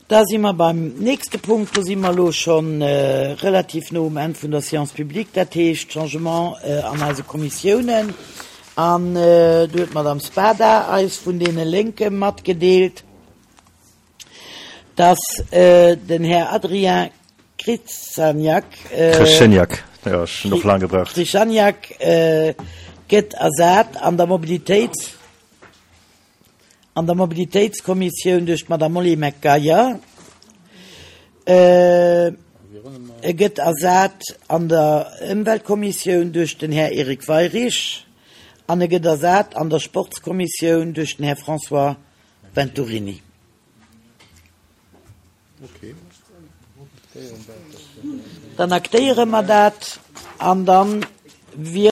Da si mer beim nächste Punkt. Do si mer elo scho relativ no um Enn vun der Séance publique, dat heescht Changement an eise Kommissiounen. An do huet d'Madame Spada eis vun deene Lénke matgedeelt, dass den Här Adrien Krzyzaniak, Krzyzaniak, jo, ech hunn och laang gebraucht. Krzyzaniak gëtt ersat an der Mobilitéits. An der Mobilitéitskommissioun duerch d'Madame Molly McGuire. E gëtt ersat an der Ëmweltkommissioun duerch den Här Eric Weirich an e gëtt ersat an der Sportskommissioun duerch den Här François Venturini. Dann aktéiere mer dat an dann wier.